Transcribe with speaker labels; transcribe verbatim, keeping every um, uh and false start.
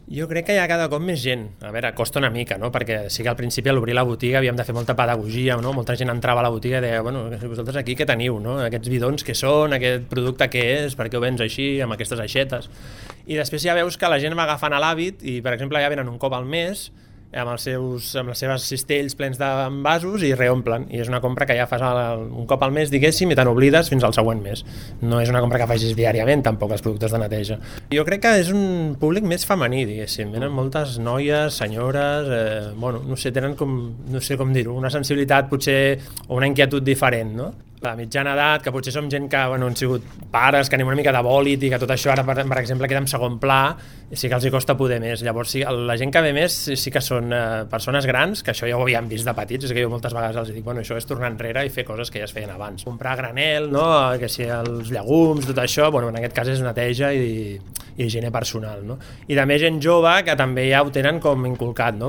Speaker 1: Jo crec que hi ha cada cop més gent. A veure, costa una mica, no? Perquè sí que al principi a l'obrir la botiga havíem de fer molta pedagogia, no? Molta gent entrava a la botiga i deia, bueno, vosaltres aquí què teniu, no? Aquests bidons què són, aquest producte què és, per què ho vens així, amb aquestes aixetes. I després ja veus que la gent va agafant l'hàbit i, per exemple, ja venen un cop al mes amb els seus amb les seves cistells plens d'envasos i reomplen, i és una compra que ja fas el, un cop al mes, diguéssim, i te n'oblides fins al següent mes. No és una compra que facis diàriament, tampoc, els productes de neteja. Jo crec que és un públic més femení, diguéssim. Venen moltes noies, senyores, eh, bueno, no sé, tenen com, no sé com dir-ho, una sensibilitat potser, o una inquietud diferent, no? La mitjana edat, que potser som gent que bueno, han sigut pares, que anem una mica de bòlit i que tot això ara, per, per exemple, queda en segon pla, i sí que els hi costa poder més. Llavors, sí, la gent que ve més sí que són eh, persones grans, que això ja ho havíem vist de petits, és que jo moltes vegades els dic, bueno, això és tornar enrere i fer coses que ja es feien abans. Comprar a granel, no? Que si els llegums, tot això, bueno, en aquest cas és neteja i, i higiene personal, no? I també gent jove que també ja ho tenen com inculcat, no?